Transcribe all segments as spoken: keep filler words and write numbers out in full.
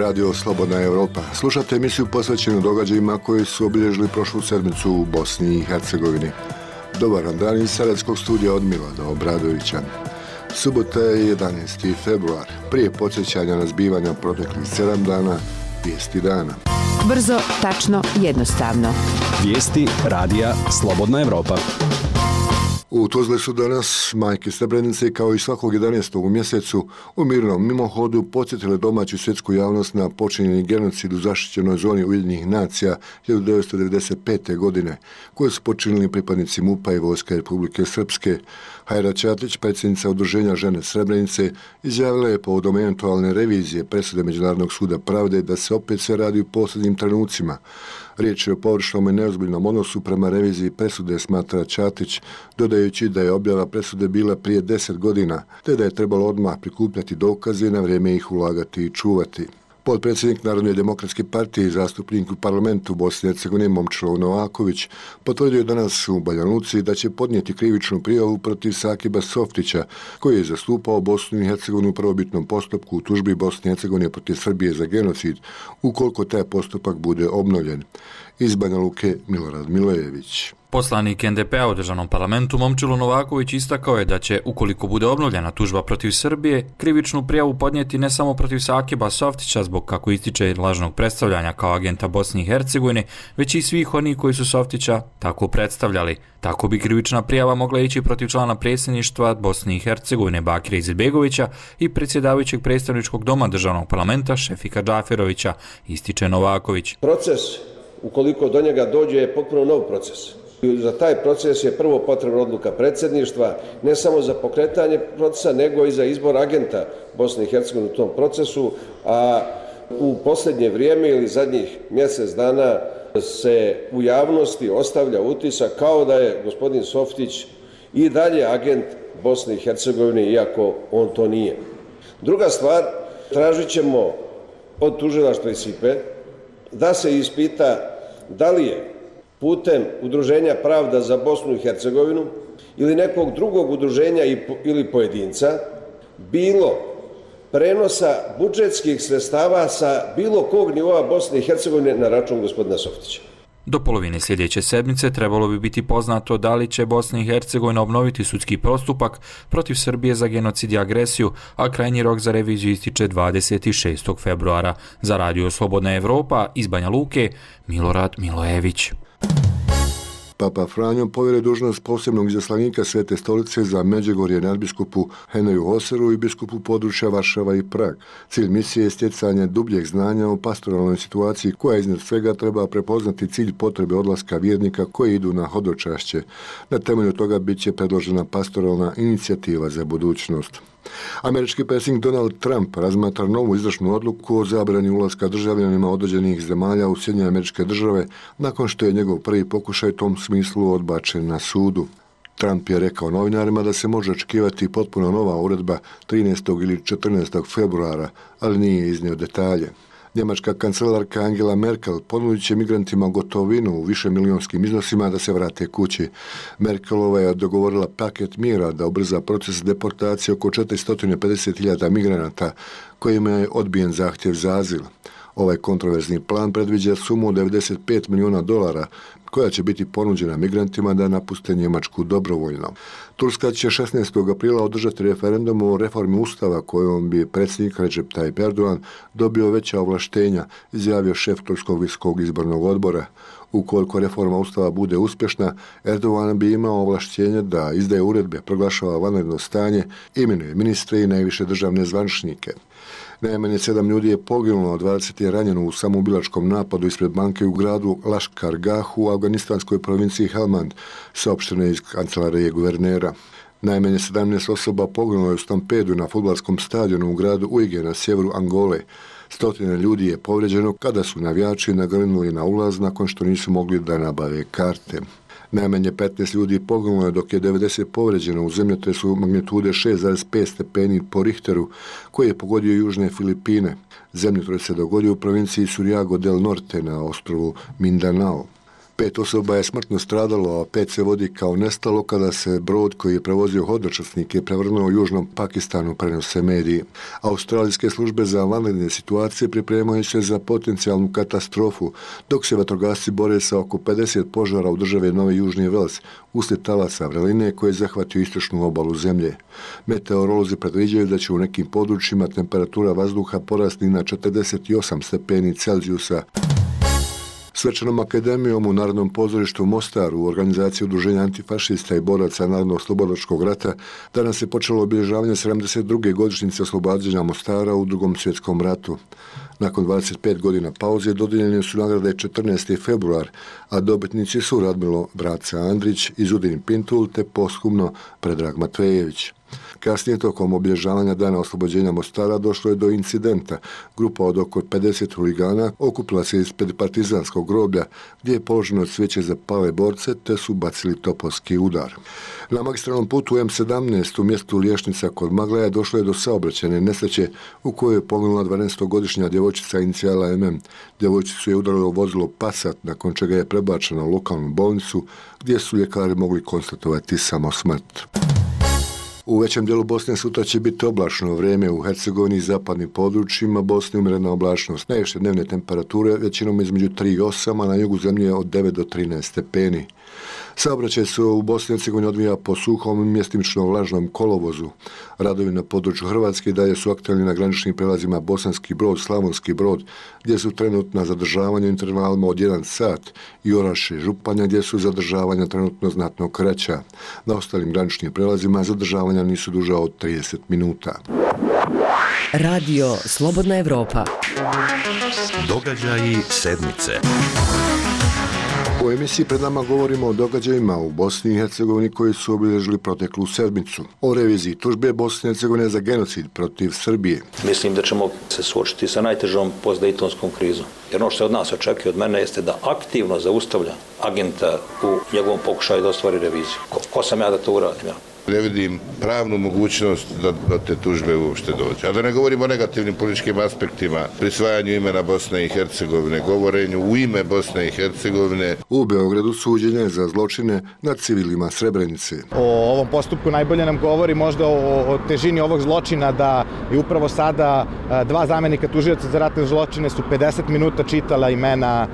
Radio Slobodna Europa. Slušate emisiju posvećenu događajima koji su obilježili prošlu sedmicu u Bosni i Hercegovini. Dobar vam dan iz Sarajevskog studija od Milana Obradovića. Subota je jedanaesti februar. Prije podsjećanja na zbivanja proteklih sedam dana, vijesti dana. Brzo, tačno, jednostavno. Vijesti Radija Slobodna Europa. U Tuzli su danas majke Srebrenice kao i svakog jedanaestog u mjesecu u mirnom mimohodu podsjetile domaću svjetsku javnost na počinjeni genocid u zaštićenoj zoni Ujedinjenih nacija hiljadu devetsto devedeset pete. godine koje su počinili pripadnici MUP-a i Vojske Republike Srpske. Hajra Ćatić, predsjednica Udruženja žene Srebrenice, izjavila je povodom eventualne revizije presude Međunarodnog suda pravde da se opet sve radi u posljednjim trenucima. Riječ je o površnom i neozbiljnom odnosu prema reviziji presude, smatra Ćatić, dodajući da je objava presude bila prije deset godina, te da je trebalo odmah prikupljati dokaze i na vrijeme ih ulagati i čuvati. Potpredsjednik Narodne demokratske partije i zastupnik u parlamentu Bosne i Hercegovine Momčilo Novaković potvrdio je danas u Banja Luci da će podnijeti krivičnu prijavu protiv Sakiba Softića, koji je zastupao Bosnu i Hercegovinu u prvobitnom postupku u tužbi Bosne i Hercegovine protiv Srbije za genocid, ukoliko taj postupak bude obnovljen. Iz Banja Luke Milorad Milojević. Poslanik en de pe a u državnom parlamentu Momčilo Novaković istakao je da će, ukoliko bude obnovljena tužba protiv Srbije, krivičnu prijavu podnijeti ne samo protiv Sakiba Softića zbog, kako ističe, lažnog predstavljanja kao agenta Bosne i Hercegovine, već i svih onih koji su Softića tako predstavljali. Tako bi krivična prijava mogla ići protiv člana predsjedništva Bosne i Hercegovine Bakira Izetbegovića i predsjedavajućeg predstavničkog doma državnog parlamenta Šefika Džaferovića, ističe Novaković. Proces, ukoliko do njega dođe, je potpuno nov proces. Za taj proces je prvo potrebna odluka predsjedništva, ne samo za pokretanje procesa, nego i za izbor agenta Bosne i Hercegovine u tom procesu, a u posljednje vrijeme ili zadnjih mjesec dana se u javnosti ostavlja utisak kao da je gospodin Softić i dalje agent Bosne i Hercegovine, iako on to nije. Druga stvar, tražit ćemo od tužilaštva i S I P E da se ispita da li je putem Udruženja Pravda za Bosnu i Hercegovinu ili nekog drugog udruženja ili pojedinca bilo prenosa budžetskih sredstava sa bilo kog nivoa Bosne i Hercegovine na račun gospodina Softića. Do polovine sljedeće sedmice trebalo bi biti poznato da li će Bosna i Hercegovina obnoviti sudski postupak protiv Srbije za genocid i agresiju, a krajnji rok za reviziju ističe dvadeset šestog februara. Za Radio Slobodna Evropa iz Banja Luke, Milorad Milojević. Papa Franjo povjeruje dužnost posebnog izaslanika Svete stolice za Međugorje nadbiskupu Henriju Hoseru i biskupu područja Varšava i Prag. Cilj misije je stjecanje dubljeg znanja o pastoralnoj situaciji koja iznad svega treba prepoznati cilj potrebe odlaska vjernika koji idu na hodočašće. Na temelju toga bit će predložena pastoralna inicijativa za budućnost. Američki predsjednik Donald Trump razmatra novu izvršnu odluku o zabrani ulaska državljanima određenih zemalja u Sjedinjene Američke Države nakon što je njegov prvi pokušaj u tom smislu odbačen na sudu. Trump je rekao novinarima da se može očekivati potpuno nova uredba trinaestog ili četrnaestog februara, ali nije iznio detalje. Njemačka kancelarka Angela Merkel ponudit će migrantima gotovinu u višemilijonskim iznosima da se vrate kući. Merkelova je dogovorila paket mjera da ubrza proces deportacije oko četiristo pedeset hiljada migranata kojima je odbijen zahtjev za azil. Ovaj kontroverzni plan predviđa sumu od devedeset pet milijuna dolara koja će biti ponuđena migrantima da napuste Njemačku dobrovoljno. Turska će šesnaestog aprila održati referendum o reformi ustava kojom bi predsjednik Recep Tayyip Erdogan dobio veća ovlaštenja, izjavio šef Turskog visokog izbornog odbora. Ukoliko reforma ustava bude uspješna, Erdogan bi imao ovlaštenje da izdaje uredbe, proglašava vanredno stanje, imenuje ministre i najviše državne zvaničnike. Najmanje sedam ljudi je poginulo, a dvadeset je ranjeno u samoubilačkom napadu ispred banke u gradu Laškar Gah u afganistanskoj provinciji Helmand, saopšteno iz kancelarije guvernera. Najmanje sedamnaest osoba poginulo je u stampedu na fudbalskom stadionu u gradu Uige na sjeveru Angole. Stotine ljudi je povrijeđeno kada su navijači nagrnuli na ulaz nakon što nisu mogli da nabave karte. Najmanje petnaest ljudi poginulo je dok je devedeset povrijeđeno u zemljotresu magnitude šest zarez pet stepeni po Richteru koji je pogodio južne Filipine. Zemljotres se dogodio u provinciji Suryago del Norte na ostrovu Mindanao. Pet osoba je smrtno stradalo, a pet se vodi kao nestalo kada se brod koji je prevozio hodočasnike prevrnuo u južnom Pakistanu, prenose mediji. Australijske službe za vanredne situacije pripremaju se za potencijalnu katastrofu, dok se vatrogasci bore sa oko pedeset požara u državi Novi Južni Vels uslijed talasa vreline koje je zahvatio istočnu obalu zemlje. Meteorolozi predviđaju da će u nekim područjima temperatura vazduha porasti na četrdeset osam stepeni Celzijusa. Svečanom akademijom u Narodnom pozorištu u Mostaru u organizaciji Udruženja antifašista i boraca Narodno-slobodačkog rata danas je počelo obilježavanje sedamdeset druge godišnjice oslobađanja Mostara u Drugom svjetskom ratu. Nakon dvadeset pet godina pauze dodijeljene su nagrade četrnaesti februar, a dobitnici su Radmilo Braca Andrić i Zudin Pintul te posthumno Predrag Matvejević. Kasnije tokom obilježavanja dana oslobođenja Mostara došlo je do incidenta. Grupa od oko pedeset huligana okupila se ispred partizanskog groblja gdje je položeno cvijeće za pale borce te su bacili topovski udar. Na magistralnom putu em sedamnaest u mjestu Liješnica kod Maglaja došlo je do saobraćajne nesreće u kojoj je poginula dvanaestogodišnja djevojčica inicijala em em. Djevojčicu je udarilo vozilo Passat, nakon čega je prebačena u lokalnu bolnicu gdje su ljekari mogli konstatovati samo smrt. U većem dijelu Bosne sutra će biti oblačno vrijeme, u Hercegovini i zapadnim područjima Bosne umjerena oblačnost. Najviše dnevne temperature većinom između tri i osam, a na jugu zemlje od devet do trinaest stepeni. Saobraćaj se u Bosni i Hercegovini odvija po suhom i mjestimično vlažnom kolovozu. Radovi na području Hrvatske dalje su aktualni na graničnim prelazima Bosanski Brod, Slavonski Brod, gdje su trenutna zadržavanja intervalima od jedan sat, i Orašje, Županja, gdje su zadržavanja trenutno znatno kraća. Na ostalim graničnim prelazima zadržavanja nisu duža od trideset minuta. Radio Slobodna Evropa. Događaji sedmice. U emisiji pred nama govorimo o događajima u Bosni i Hercegovini koji su obilježili proteklu sedmicu. O reviziji tužbe Bosne i Hercegovine za genocid protiv Srbije. Mislim da ćemo se suočiti sa najtežom postdejtonskom krizom. Jer ono što se od nas očekuje od mene jeste da aktivno zaustavlja agenta u njegovom pokušaju da ostvari reviziju. Ko, ko sam ja da to uradim? Ja? Ne vidim pravnu mogućnost da do te tužbe uopšte dođe. A da ne govorimo o negativnim političkim aspektima, prisvajanju imena Bosne i Hercegovine, govorenju u ime Bosne i Hercegovine. U Beogradu suđenje za zločine nad civilima Srebrenice. O ovom postupku najbolje nam govori možda o, o težini ovog zločina, da je upravo sada dva zamjenika tužioca za ratne zločine su pedeset minuta čitala imena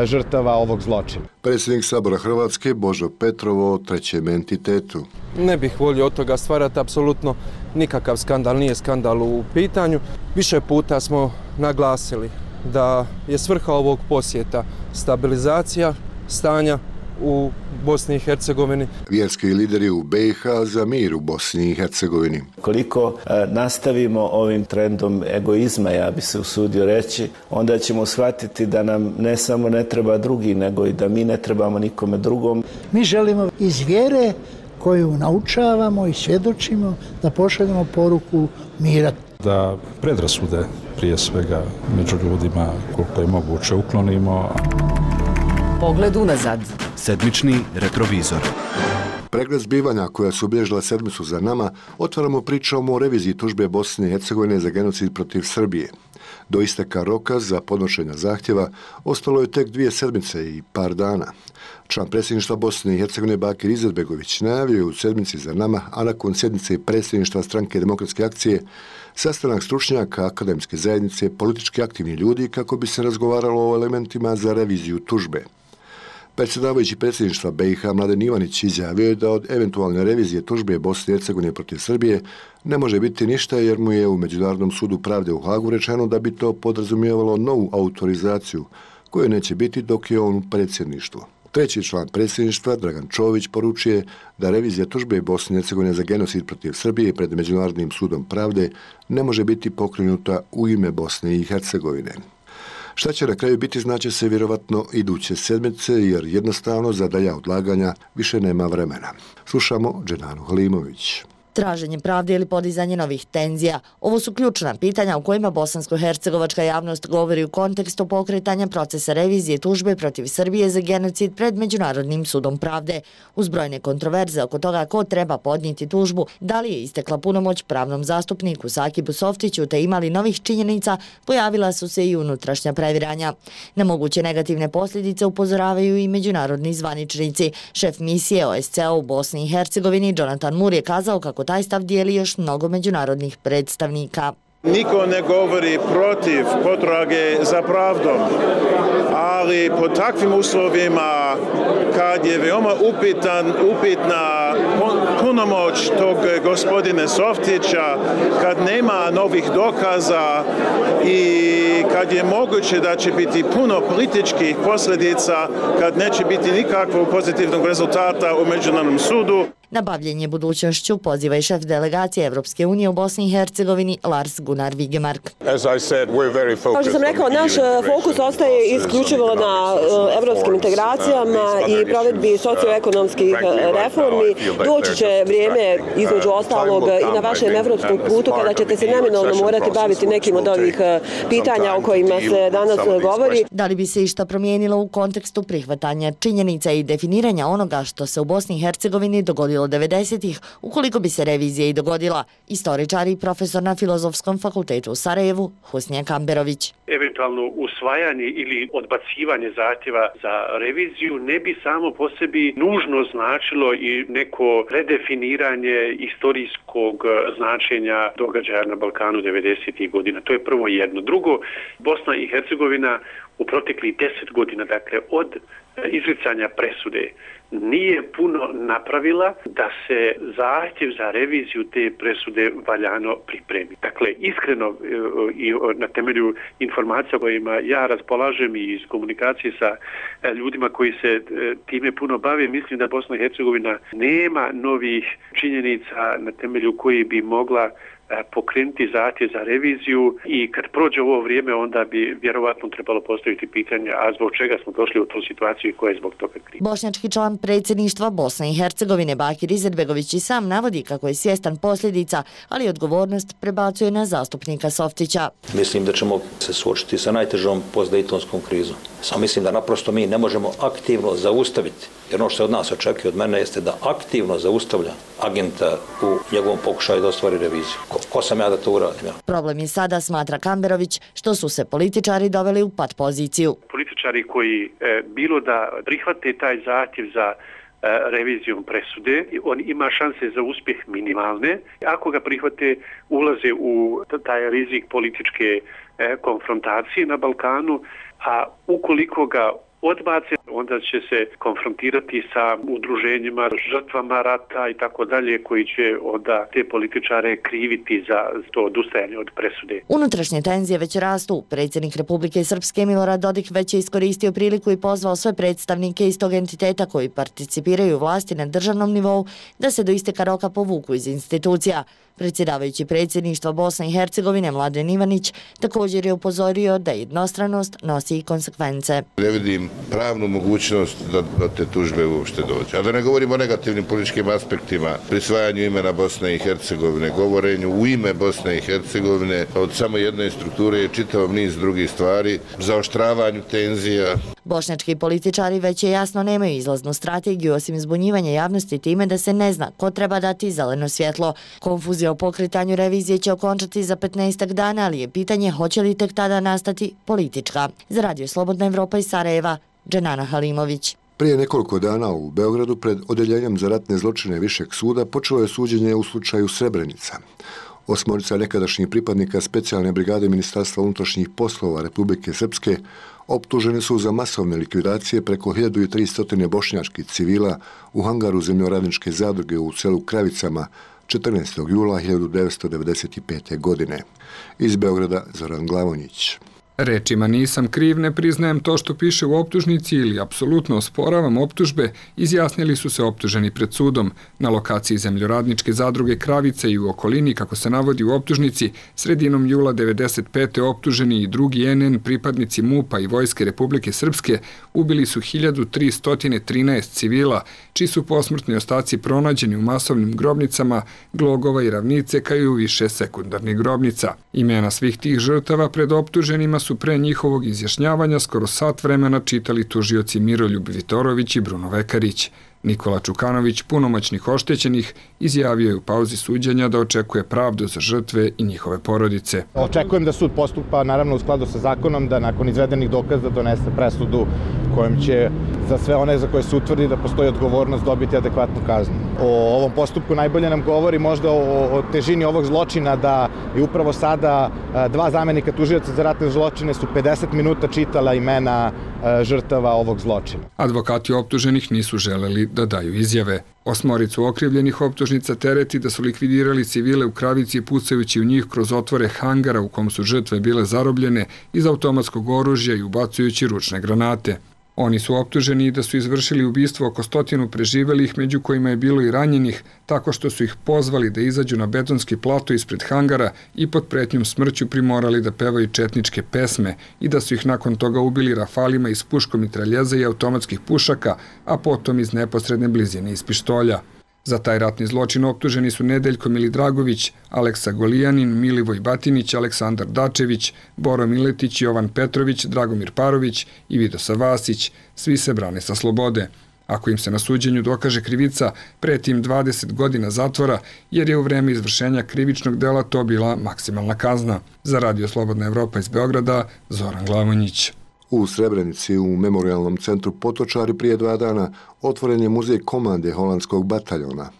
žrtava ovog zločina. Predsjednik Sabora Hrvatske Božo Petrovo o trećem entitetu. Ne bih volio od toga stvarati apsolutno nikakav skandal, nije skandal u pitanju. Više puta smo naglasili da je svrha ovog posjeta stabilizacija stanja u Bosni i Hercegovini. Vjerski lideri u be i ha za mir u Bosni i Hercegovini. Koliko e, nastavimo ovim trendom egoizma, ja bi se usudio reći, onda ćemo shvatiti da nam ne samo ne treba drugi, nego i da mi ne trebamo nikome drugom. Mi želimo iz vjere koju naučavamo i svjedočimo da pošaljemo poruku mira. Da predrasude prije svega među ljudima koliko je moguće uklonimo. Pogled unazad. Sedmični retrovizor. Pregled zbivanja koja su obilježila sedmicu za nama, otvaramo pričom o reviziji tužbe Bosne i Hercegovine za genocid protiv Srbije. Do isteka roka za podnošenje zahtjeva ostalo je tek dvije sedmice i par dana. Član predsjedništva Bosne i Hercegovine Bakir Izetbegović najavio je u sedmici za nama, a nakon sjednice predsjedništva Stranke demokratske akcije, sastanak stručnjaka, akademske zajednice, politički aktivni ljudi kako bi se razgovaralo o elementima za reviziju tužbe. Predsjedavajući predsjedništva be i ha Mladen Ivanić izjavio je da od eventualne revizije tužbe Bosne i Hercegovine protiv Srbije ne može biti ništa jer mu je u Međunarodnom sudu pravde u Hagu rečeno da bi to podrazumijevalo novu autorizaciju koje neće biti dok je on u predsjedništvu. Treći član predsjedništva, Dragan Čović, poručuje da revizija tužbe Bosne i Hercegovine za genocid protiv Srbije pred Međunarodnim sudom pravde ne može biti pokrenuta u ime Bosne i Hercegovine. Šta će na kraju biti, znaće se vjerovatno iduće sedmice, jer jednostavno za dalja odlaganja više nema vremena. Slušamo Dženanu Halimović. Traženje pravde ili podizanje novih tenzija. Ovo su ključna pitanja u kojima bosansko-hercegovačka javnost govori u kontekstu pokretanja procesa revizije tužbe protiv Srbije za genocid pred Međunarodnim sudom pravde. Uz brojne kontroverze oko toga ko treba podnijeti tužbu, da li je istekla punomoć pravnom zastupniku Sakibu Softiću te imali novih činjenica, pojavila su se i unutrašnja previranja. Na moguće negativne posljedice upozoravaju i međunarodni zvaničnici. Šef misije O S C E u Bosni i Hercegovini Jonathan Moore je kazao kako taj stav dijeli još mnogo međunarodnih predstavnika. Niko ne govori protiv potrage za pravdom, ali pod takvim uslovima kad je veoma upitan, upitna punomoć tog gospodine Softića, kad nema novih dokaza i kad je moguće da će biti puno političkih posljedica, kad neće biti nikakvog pozitivnog rezultata u Međunarodnom sudu. Na bavljenje budućnošću poziva i šef delegacije Evropske unije u Bosni i Hercegovini Lars Gunnar Vigemark. Kao što sam rekao, naš fokus ostaje isključivo na evropskim integracijama i provedbi socioekonomskih reformi. Doći će vrijeme, između ostalog, i na vašem evropskom putu kada ćete se neminovno morati baviti nekim od ovih pitanja o kojima se danas govori. Da li bi se išta promijenilo u kontekstu prihvatanja činjenica i definiranja onoga što se u Bosni i Hercegovini dogodilo devedesetih, ukoliko bi se revizija i dogodila? Istoričar i profesor na Filozofskom fakultetu u Sarajevu, Husnija Kamberović. Eventualno usvajanje ili odbacivanje zahtjeva za reviziju ne bi samo po sebi nužno značilo i neko redefiniranje istorijskog značenja događaja na Balkanu devedesetih godina. To je prvo jedno. Drugo, Bosna i Hercegovina u proteklih deset godina, dakle od izricanja presude, nije puno napravila da se zahtjev za reviziju te presude valjano pripremi. Dakle, iskreno i na temelju informacija kojima ja raspolažem i iz komunikacije sa ljudima koji se time puno bave, mislim da Bosna i Hercegovina nema novih činjenica na temelju koji bi mogla pokrenuti zahtjev za reviziju i kad prođe ovo vrijeme onda bi vjerovatno trebalo postaviti pitanje a zbog čega smo došli u tu situaciju i ko je zbog toga kriv. Bošnjački član predsjedništva Bosne i Hercegovine Bakir Izetbegović i sam navodi kako je svjestan posljedica, ali odgovornost prebacuje na zastupnika Softića. Mislim da ćemo se suočiti sa najtežom postdejtonskom krizom. Samo mislim da naprosto mi ne možemo aktivno zaustaviti, jer ono što se od nas očekuje od mene jeste da aktivno zaustavlja agenta u njegovom pokušaju da ostvari reviziju. Ko, ko sam ja da to uradim? Ja? Problem je sada, smatra Kamberović, što su se političari doveli u pat poziciju. Političari koji e, bilo da prihvate taj zahtjev za revizijom presude, on ima šanse za uspjeh minimalne. Ako ga prihvate, ulaze u taj rizik političke konfrontacije na Balkanu, a ukoliko ga odbace, onda će se konfrontirati sa udruženjima, žrtvama rata i tako dalje, koji će onda te političare kriviti za to odustajanje od presude. Unutrašnje tenzije već rastu. Predsjednik Republike Srpske Milorad Dodik već je iskoristio priliku i pozvao sve predstavnike iz tog entiteta koji participiraju u vlasti na državnom nivou da se do isteka roka povuku iz institucija. Predsjedavajući predsjedništva Bosne i Hercegovine Mladen Ivanić također je upozorio da jednostranost nosi i konsekvence. Ne vidim pravnu mogućnost da, da te tužbe uopšte dođe. A da ne govorimo o negativnim političkim aspektima, prisvajanju imena Bosne i Hercegovine, govorenju u ime Bosne i Hercegovine, od samo jedne strukture je čitav niz drugih stvari, zaoštravanju tenzija. Bošnjački političari već je jasno nemaju izlaznu strategiju osim zbunjivanja javnosti time da se ne zna ko treba dati zeleno svjetlo. Konfuzija o pokretanju revizije će okončati za petnaestak dana, ali je pitanje hoće li tek tada nastati politička. Za Radio Slobodna Evropa iz Sarajeva, Dženana Halimović. Prije nekoliko dana u Beogradu pred Odeljenjem za ratne zločine Višeg suda počelo je suđenje u slučaju Srebrenica. Osmorica nekadašnjih pripadnika specijalne brigade Ministarstva unutrašnjih poslova Republike Srpske optuženi su za masovne likvidacije preko hiljadu tristo bošnjačkih civila u hangaru zemljoradničke zadruge u selu Kravicama četrnaestog jula hiljadu devetsto devedeset pete. godine. Iz Beograda Zoran Glavonjić. Rečima nisam kriv, ne priznajem to što piše u optužnici ili apsolutno osporavam optužbe, izjasnili su se optuženi pred sudom. Na lokaciji zemljoradničke zadruge Kravice i u okolini, kako se navodi u optužnici, sredinom jula devedeset pete optuženi i drugi en en pripadnici MUP-a i Vojske Republike Srpske ubili su hiljadu tristo trinaest civila, čiji su posmrtni ostaci pronađeni u masovnim grobnicama Glogova i Ravnice, kao i u više sekundarnih grobnica. Imena svih tih žrtava pred optuženima su pre njihovog izjašnjavanja skoro sat vremena čitali tužioci Miroljub Vitorović i Bruno Vekarić. Nikola Čukanović, punomoćnik oštećenih, izjavio je u pauzi suđenja da očekuje pravdu za žrtve i njihove porodice. Očekujem da sud postupa naravno u skladu sa zakonom, da nakon izvedenih dokaza donese presudu kojom će za sve one za koje se utvrdi da postoji odgovornost dobiti adekvatnu kaznu. O ovom postupku najbolje nam govori možda o, o težini ovog zločina, da je upravo sada dva zamenika tužioca za ratne zločine su pedeset minuta čitala imena žrtava ovog zločina. Advokati optuženih nisu želeli da daju izjave. Osmoricu okrivljenih optužnica tereti da su likvidirali civile u Kravici pucajući u njih kroz otvore hangara u kom su žrtve bile zarobljene iz automatskog oružja i ubacujući ručne granate. Oni su optuženi da su izvršili ubistvo oko stotinu preživelih, među kojima je bilo i ranjenih, tako što su ih pozvali da izađu na betonski plato ispred hangara i pod pretnjom smrću primorali da pevaju četničke pesme i da su ih nakon toga ubili rafalima iz puškomitraljeza i automatskih pušaka, a potom iz neposredne blizine iz pištolja. Za taj ratni zločin optuženi su Nedeljko Milidragović, Aleksa Golijanin, Milivoj Batinić, Aleksandar Dačević, Boro Miletić, Jovan Petrović, Dragomir Parović i Vidosa Vasić. Svi se brane sa slobode. Ako im se na suđenju dokaže krivica, preti im dvadeset godina zatvora, jer je u vreme izvršenja krivičnog dela to bila maksimalna kazna. Za Radio Slobodna Evropa iz Beograda, Zoran Glavonjić. U Srebrenici, u memorialnom centru Potočari, prije dva dana otvoren je muzej komande holandskog bataljona.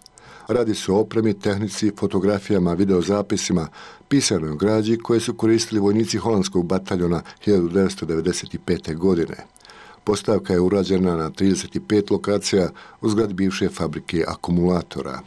Radi se o opremi, tehnici, fotografijama, videozapisima, pisanoj građi koje su koristili vojnici holandskog bataljona hiljadu devetsto devedeset pete. godine. Postavka je urađena na trideset pet lokacija u zgradi bivše fabrike akumulatora.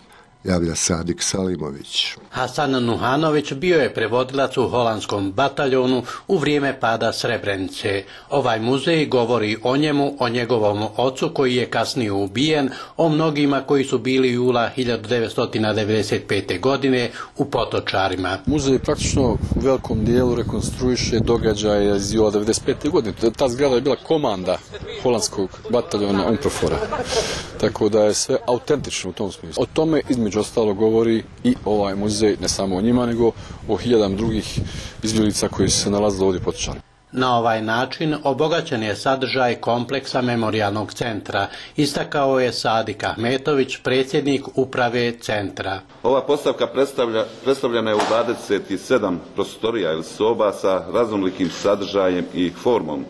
Javlja Sadik Salimović. Hasan Nuhanović bio je prevodilac u holandskom bataljonu u vrijeme pada Srebrenice. Ovaj muzej govori o njemu, o njegovom ocu koji je kasnije ubijen, o mnogima koji su bili jula hiljadu devetsto devedeset pete. godine u Potočarima. Muzej praktično u velikom dijelu rekonstruiše događaje iz jula devedeset pete. godine. Ta zgrada je bila komanda holandskog bataljona Unprofora. Tako da je sve autentično u tom smislu. O tome između ostalo govori i ovaj muzej, ne samo o njima, nego o hiljadama drugih izbjeglica koji su se nalazili ovdje Potočari. Na ovaj način obogaćen je sadržaj kompleksa memorijalnog centra, istakao je Sadik Ahmetović, predsjednik uprave centra. Ova postavka predstavlja, predstavljena je u dvadeset sedam prostorija ili soba sa raznolikim sadržajem i formom.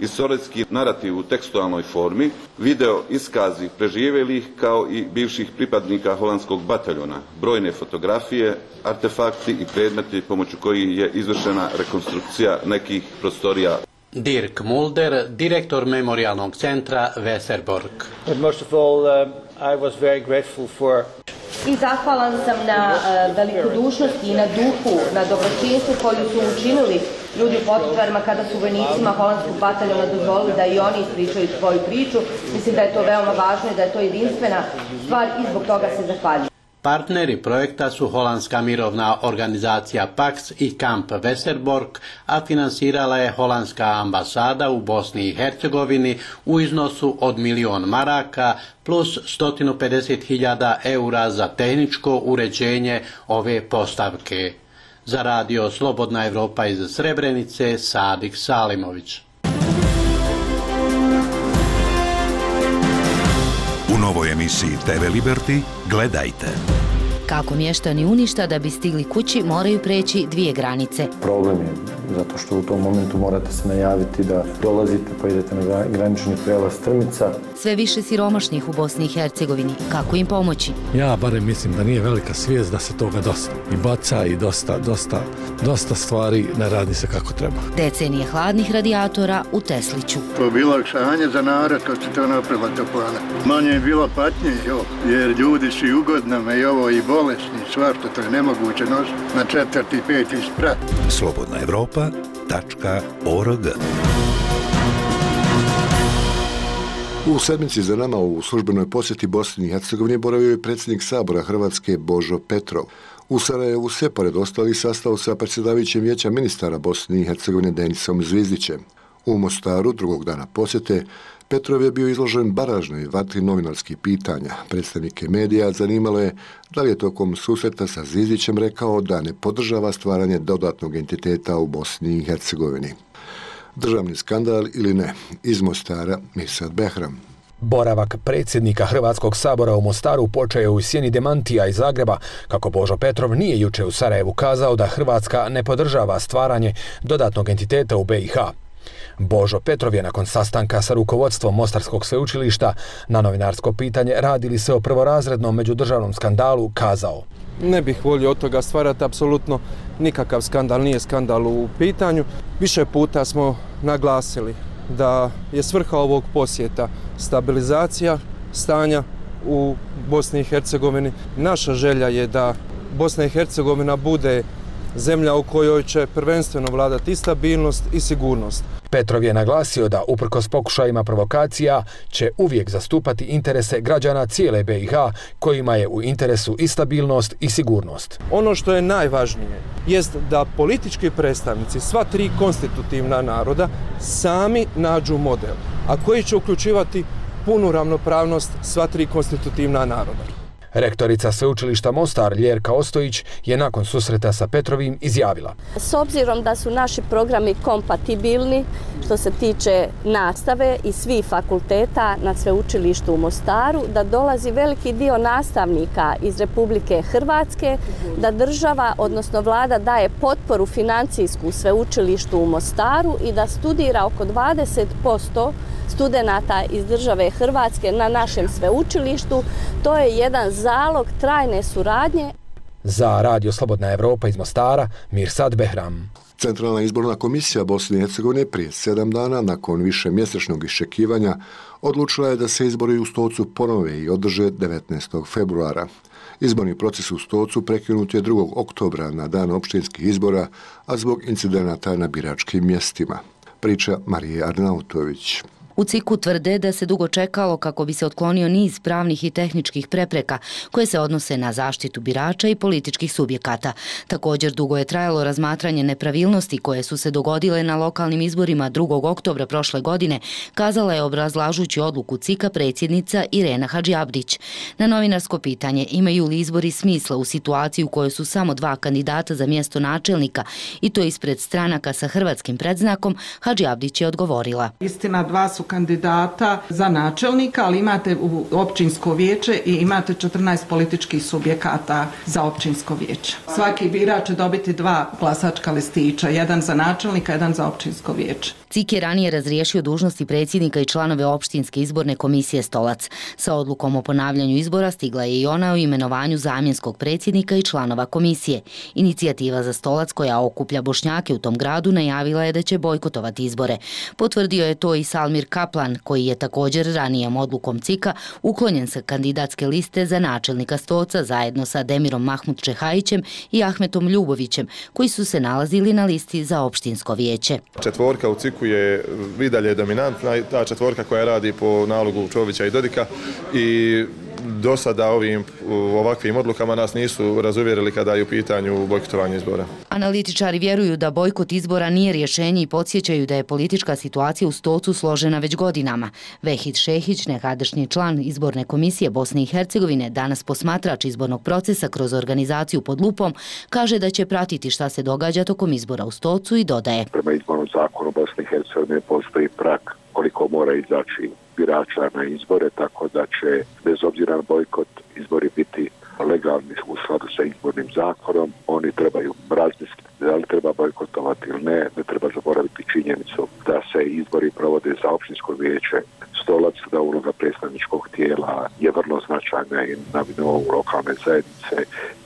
Istorijski narativ u tekstualnoj formi, video iskazi preživjelih kao i bivših pripadnika holandskog bataljona, brojne fotografije, artefakti i predmeti pomoću kojih je izvršena rekonstrukcija nekih prostorija. Dirk Mulder, direktor memorijalnog centra Weserbork. Most of all, uh, I was very grateful for I zahvalan sam na uh, velikodušnosti i na duhu, na dobročinstvu koju su učinili ljudi u Potočarima kada su vojnicima holandskog bataljona dozvolili da i oni ispričaju svoju priču. Mislim da je to veoma važno i da je to jedinstvena stvar i zbog toga se zahvaljujem. Partneri projekta su holandska mirovna organizacija Pax i Kamp Weserbork, a finansirala je holandska ambasada u Bosni i Hercegovini u iznosu od milion maraka plus sto pedeset hiljada eura za tehničko uređenje ove postavke. Za Radio Slobodna Evropa iz Srebrenice, Sadik Salimović. U novoj emisiji te ve Liberty gledajte. Kako mještani Uništa da bi stigli kući moraju preći dvije granice. Problem je zato što u tom momentu morate se najaviti da dolazite pa idete na granični prijelaz Strmica. Sve više siromašnih u Bosni i Hercegovini. Kako im pomoći? Ja barem mislim da nije velika svijest da se toga dosta i baca i dosta, dosta, dosta stvari ne radi se kako treba. Decenije hladnih radijatora u Tesliću. To je bilo olakšanje za narod kad se to napravila toplana. Manje je bilo patnje, jo, jer ljudi su i ugodnama i ovo i bolesni, svašta, to je nemoguće nositi na četvrti, peti sprat. Slobodna Evropa tačka org. U sedmici za nama u službenoj posjeti Bosni i Hercegovini boravio je predsjednik Sabora Hrvatske Božo Petrov. U Sarajevu se, pored ostalih, sastao sa predsjedavajućim vijeća ministara Bosne i Hercegovine Denisom Zvizdićem. U Mostaru, drugog dana posjete, Petrov je bio izložen baražnoj vatri novinarskih pitanja. Predstavnike medija zanimalo je da li je tokom susreta sa Zvizdićem rekao da ne podržava stvaranje dodatnog entiteta u Bosni i Hercegovini. Državni skandal ili ne? Iz Mostara, Mirsad Behram. Boravak predsjednika Hrvatskog sabora u Mostaru počeo je u sjeni demantija iz Zagreba, kako Božo Petrov nije juče u Sarajevu kazao da Hrvatska ne podržava stvaranje dodatnog entiteta u be i ha. Božo Petrov je nakon sastanka sa rukovodstvom Mostarskog sveučilišta na novinarsko pitanje radi li se o prvorazrednom međudržavnom skandalu kazao: Ne bih volio od toga stvarati apsolutno nikakav skandal, nije skandal u pitanju. Više puta smo naglasili da je svrha ovog posjeta stabilizacija stanja u Bosni i Hercegovini. Naša želja je da Bosna i Hercegovina bude zemlja u kojoj će prvenstveno vladati i stabilnost i sigurnost. Petrov je naglasio da uprkos pokušajima provokacija će uvijek zastupati interese građana cijele be i ha kojima je u interesu i stabilnost i sigurnost. Ono što je najvažnije jest da politički predstavnici sva tri konstitutivna naroda sami nađu model, a koji će uključivati punu ravnopravnost sva tri konstitutivna naroda. Rektorica sveučilišta Mostar Ljerka Ostojić je nakon susreta sa Petrovim izjavila: S obzirom da su naši programi kompatibilni što se tiče nastave i svih fakulteta na sveučilištu u Mostaru, da dolazi veliki dio nastavnika iz Republike Hrvatske, da država, odnosno vlada, daje potporu financijsku sveučilištu u Mostaru i da studira oko dvadeset posto studenata iz države Hrvatske na našem sveučilištu. To je jedan zalog trajne suradnje. Za Radio Slobodna Evropa iz Mostara, Mirsad Behram. Centralna izborna komisija Bosne i Hercegovine prije sedam dana, nakon više mjesečnog iščekivanja, odlučila je da se izbori u Stocu ponove i održe devetnaestog februara. Izborni proces u Stocu prekinut je drugog oktobra na dan općinskih izbora, a zbog incidenata na biračkim mjestima. Priča Marije Arnautović. U C I K-u tvrde da se dugo čekalo kako bi se otklonio niz pravnih i tehničkih prepreka koje se odnose na zaštitu birača i političkih subjekata. Također dugo je trajalo razmatranje nepravilnosti koje su se dogodile na lokalnim izborima drugog oktobra prošle godine, kazala je obrazlažući odluku C I K-a predsjednica Irena Hadžiabdić. Na novinarsko pitanje imaju li izbori smisla u situaciji u kojoj su samo dva kandidata za mjesto načelnika i to ispred stranaka sa hrvatskim predznakom, Hadžiabdić je odgovorila: Istina, dva su kandidata za načelnika, ali imate u općinsko vijeće i imate četrnaest političkih subjekata za općinsko vijeće. Svaki birač će dobiti dva glasačka listića, jedan za načelnika, jedan za općinsko vijeće. C I K je ranije razriješio dužnosti predsjednika i članove opštinske izborne komisije Stolac. Sa odlukom o ponavljanju izbora stigla je i ona o imenovanju zamjenskog predsjednika i članova komisije. Inicijativa za Stolac, koja okuplja Bošnjake u tom gradu, najavila je da će bojkotovati izbore. Potvrdio je to i Salmir Kaplan, koji je također ranijom odlukom C I K-a uklonjen sa kandidatske liste za načelnika Stoca zajedno sa Demirom Mahmud Čehajićem i Ahmetom Ljubovićem, koji su se nalazili na listi za opštinsko vijeće. Četvorka u C I K-u je i dalje dominantna, ta četvorka koja radi po nalogu Čovića i Dodika i do sada ovim ovakvim odlukama nas nisu razuvjerili kada je u pitanju bojkotovanje izbora. Analitičari vjeruju da bojkot izbora nije rješenje i podsjećaju da je politička situacija u Stocu složena već godinama. Vehid Šehić, nekadašnji član izborne komisije Bosne i Hercegovine, danas posmatrač izbornog procesa kroz organizaciju pod lupom, kaže da će pratiti šta se događa tokom izbora u Stocu i dodaje: Prema izbornom zakonu Bosne i Hercegovine postoji prag koliko mora izaći birača na izbore, tako da će bez obzira na bojkot izbori biti legalni u skladu sa izbornim zakonom. Oni trebaju razmisliti da li treba bojkotovati ili ne. Ne treba zaboraviti činjenicu da se izbori provode za općinsko vijeće Stolac, da uloga predstavničkog tijela je vrlo značajna i na nivou lokalne zajednice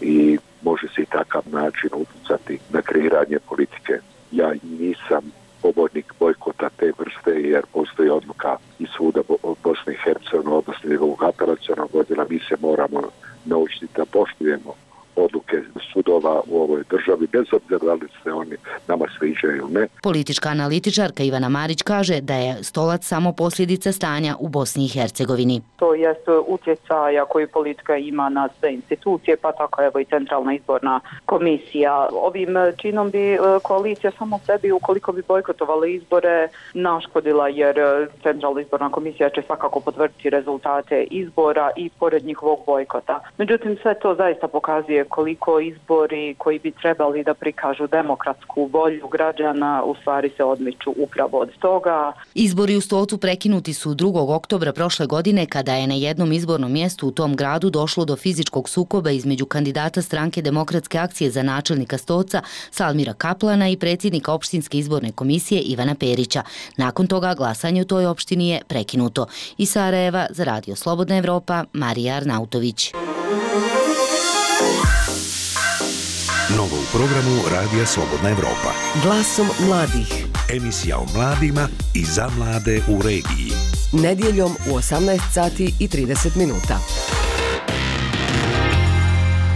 i može se i takav način utjecati na kreiranje politike. Ja nisam pobornik bojkota te vrste jer postoji odluka i suda Bosne i Hercegovine, odnosno njegovog apelacionog odjela. Mi se moramo naučiti da poštujemo odluke sudova u ovoj državi, bez obzira da li se oni nama sviđaju ne. Politička analitičarka Ivana Marić kaže da je stolac samo posljedica stanja u Bosni i Hercegovini. To jest utjecaja koji politika ima na sve institucije, pa tako evo i Centralna izborna komisija. Ovim činom bi koalicija samo sebi, ukoliko bi bojkotovala izbore, naškodila, jer Centralna izborna komisija će svakako potvrditi rezultate izbora i pored njihovog bojkota. Međutim, sve to zaista pokazuje koliko izbori koji bi trebali da prikažu demokratsku volju građana u stvari se odmiču upravo od toga. Izbori u Stolcu prekinuti su drugog oktobra prošle godine kada je na jednom izbornom mjestu u tom gradu došlo do fizičkog sukoba između kandidata stranke Demokratske akcije za načelnika Stolca Salmira Kaplana i predsjednika opštinske izborne komisije Ivana Perića. Nakon toga glasanje u toj opštini je prekinuto. Iz Sarajeva za Radio Slobodna Evropa, Marija Arnautović. Novo u programu Radija Slobodna Evropa. Glasom mladih. Emisija o mladima i za mlade u regiji. Nedjeljom u osamnaest sati i trideset minuta.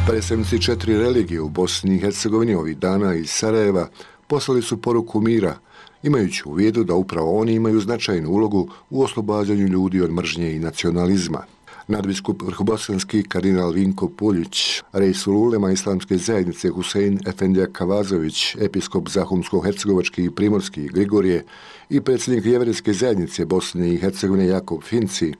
Predstavnici četiri religije u Bosni i Hercegovini ovih dana iz Sarajeva poslali su poruku mira, imajući u vidu da upravo oni imaju značajnu ulogu u oslobađanju ljudi od mržnje i nacionalizma. Nadbiskup vrhobosanski kardinal Vinko Puljić, rejsul ulema islamske zajednice Husein Efendija Kavazović, episkop Zahumsko-hercegovački i primorski Grigorije i predsjednik jevrejske zajednice Bosne i Hercegovine Jakob Finci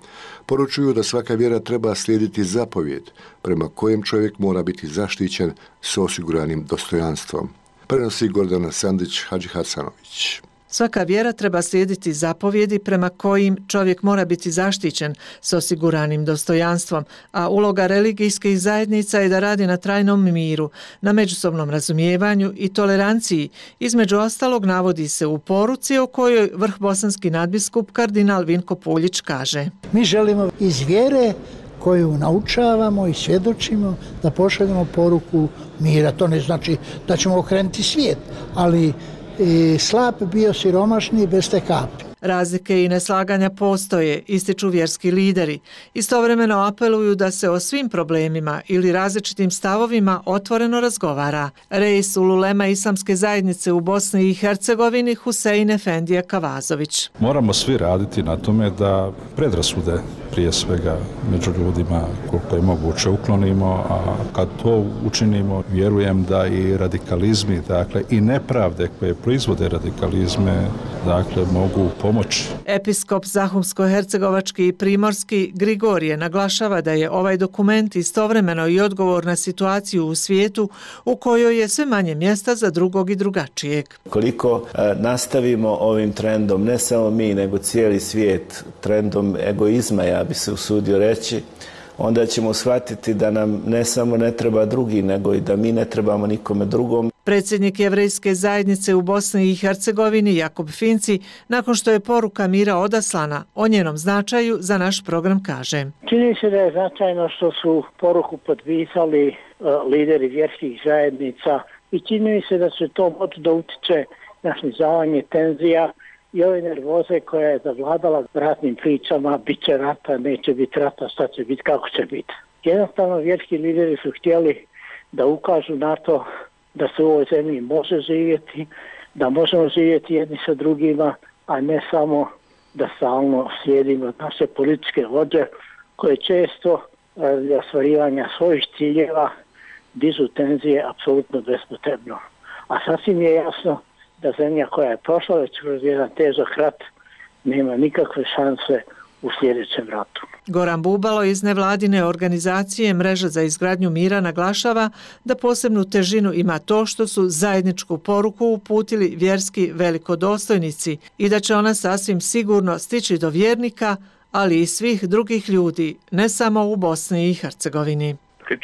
poručuju da svaka vjera treba slijediti zapovjed prema kojem čovjek mora biti zaštićen s osiguranim dostojanstvom. Prenosi Gordana Sandić Hadžihasanović. Svaka vjera treba slijediti zapovjedi prema kojim čovjek mora biti zaštićen s osiguranim dostojanstvom, a uloga religijskih zajednica je da radi na trajnom miru, na međusobnom razumijevanju i toleranciji. Između ostalog navodi se u poruci o kojoj vrhbosanski nadbiskup kardinal Vinko Puljić kaže: Mi želimo iz vjere koju naučavamo i svjedočimo da pošaljemo poruku mira. To ne znači da ćemo okrenuti svijet, ali i slab bio siromašni bez te kapi. Razlike i neslaganja postoje, ističu vjerski lideri. Istovremeno apeluju da se o svim problemima ili različitim stavovima otvoreno razgovara. Reis ulema islamske zajednice u Bosni i Hercegovini Husein Efendija Kavazović. Moramo svi raditi na tome da predrasude prije svega među ljudima koliko je moguće uklonimo, a kad to učinimo vjerujem da i radikalizmi, dakle i nepravde koje proizvode radikalizme, dakle mogu pomoći. Episkop Zahumsko-hercegovački i primorski Grigorije naglašava da je ovaj dokument istovremeno i odgovor na situaciju u svijetu u kojoj je sve manje mjesta za drugog i drugačijeg. Koliko e, nastavimo ovim trendom, ne samo mi, nego cijeli svijet, trendom egoizma, ja bi se usudio reći, onda ćemo shvatiti da nam ne samo ne treba drugi, nego i da mi ne trebamo nikome drugom. Predsjednik jevrejske zajednice u Bosni i Hercegovini Jakob Finci, nakon što je poruka mira odaslana, o njenom značaju za naš program kaže: Čini se da je značajno što su poruku potpisali uh, lideri vjerskih zajednica i čini se da se to moći da utiče na snizavanje tenzija i ove nervoze koja je zavladala ratnim pričama, bit će rata, neće biti rata, šta će biti, kako će biti. Jednostavno vjerski lideri su htjeli da ukažu na to da se u ovoj zemlji može živjeti, da možemo živjeti jedni sa drugima, a ne samo da stalno slijedimo naše političke vođe koje često radi ostvarivanja svojih ciljeva dižu tenzije apsolutno bespotrebno. A sasvim je jasno da zemlja koja je prošla već kroz jedan težak rat nema nikakve šanse u sljedećem ratu. Goran Bubalo iz nevladine organizacije Mreža za izgradnju mira naglašava da posebnu težinu ima to što su zajedničku poruku uputili vjerski velikodostojnici i da će ona sasvim sigurno stići do vjernika, ali i svih drugih ljudi, ne samo u Bosni i Hercegovini.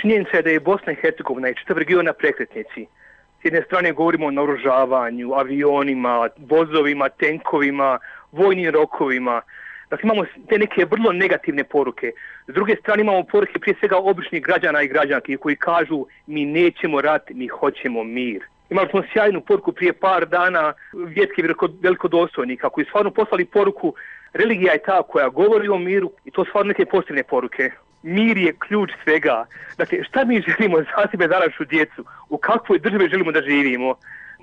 Činjenica je da je Bosna i Hercegovina i čitav region na prekretnici. S jedne strane govorimo o naoružavanju, avionima, vozovima, tenkovima, vojnim rokovima. Dakle, imamo te neke vrlo negativne poruke. S druge strane imamo poruke prije svega običnih građana i građanki koji kažu mi nećemo rat, mi hoćemo mir. Imali smo sjajnu poruku prije par dana vjetske velikodostojnika koji stvarno poslali poruku religija je ta koja govori o miru i to stvarno neke pozitivne poruke. Mir je ključ svega. Dakle, šta mi želimo za sebe, za našu djecu? U kakvoj državi želimo da živimo?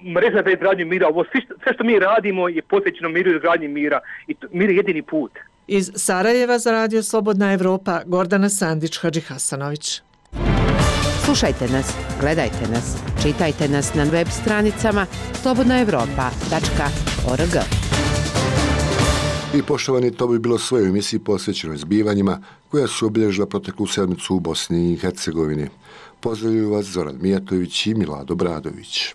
mreža za izgradnju mira, ovo sve što, sve što mi radimo je posvećeno miru i izgradnji mira i to, mir je jedini put. Iz Sarajeva za Radio Slobodna Evropa, Gordana Sandić, Hadži Hasanović. Slušajte nas, gledajte nas, čitajte nas na web stranicama slobodna evropa tačka org. I poštovani, to bi bilo sve u emisiji posvećenoj zbivanjima koja su obilježila proteklu sedmicu u Bosni i Hercegovini. Pozdravljuju vas Zoran Mijatović i Milado Bradović.